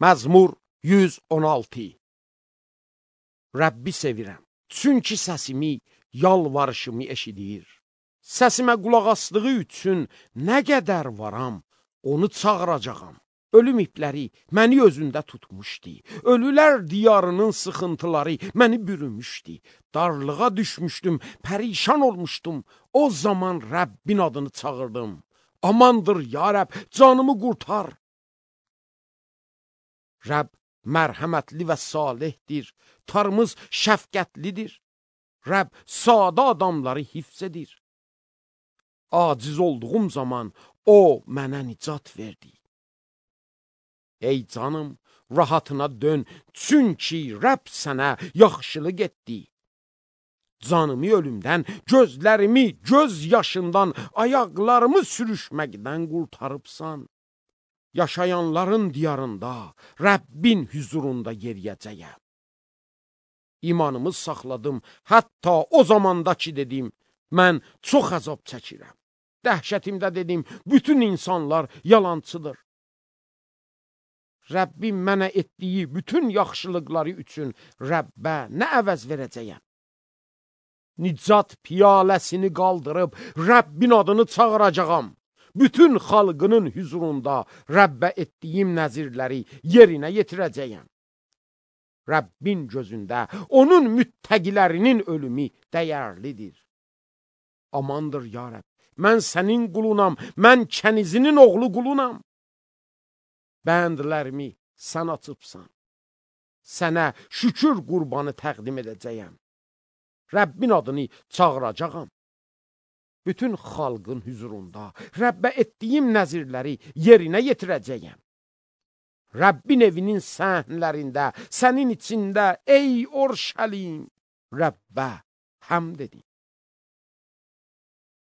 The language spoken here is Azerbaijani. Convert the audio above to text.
Məzmur 116. Rəbbi sevirəm, çünki səsimi, yalvarışımı eşidir. Səsimə qulaq asdığı üçün nə qədər varam, onu çağıracağam. Ölüm ipləri məni özündə tutmuşdu. Ölülər diyarının sıxıntıları məni bürümüşdü. Darlığa düşmüşdüm, pərişan olmuşdum. O zaman Rəbbin adını çağırdım. Amandır ya Rəbb, canımı qurtar. Rəbb mərhəmətli və salihdir. Tarımız şəfqətlidir. Rəbb sadə adamları hifz edir. Aciz olduğum zaman o mənə nicat verdi. Ey canım, rahatına dön, çünki Rəbb sənə yaxşılıq etdi. Canımı ölümdən, gözlərimi göz yaşından, ayaqlarımı sürüşməkdən qurtarıbsan. Yaşayanların diyarında, Rəbbin hüzurunda yeriyəcəyəm. İmanımı saxladım, hətta o zamanda ki dedim, mən çox əzab çəkirəm. Dəhşətimdə dedim, bütün insanlar yalançıdır. Rəbbim mənə etdiyi bütün yaxşılıqları üçün Rəbbə nə əvəz verəcəyəm? Nicat piyaləsini qaldırıb Rəbbin adını çağıracağam. Bütün xalqının hüzurunda Rəbbə etdiyim nəzirləri yerinə yetirəcəyəm. Rəbbin gözündə onun müttəqilərinin ölümü dəyərlidir. Amandır ya Rəbb, mən sənin qulunam, mən kənizinin oğlu qulunam. Bəndlərimi sən açıbsan. Sənə şükür qurbanı təqdim edəcəyəm. Rəbbin adını çağıracağam. Bütün xalqın hüzurunda Rəbbə etdiyim nəzirləri yerinə yetirəcəyəm. Rəbbin evinin səhnlərində, sənin içində, ey Orşəlim, Rəbbə həmd edin.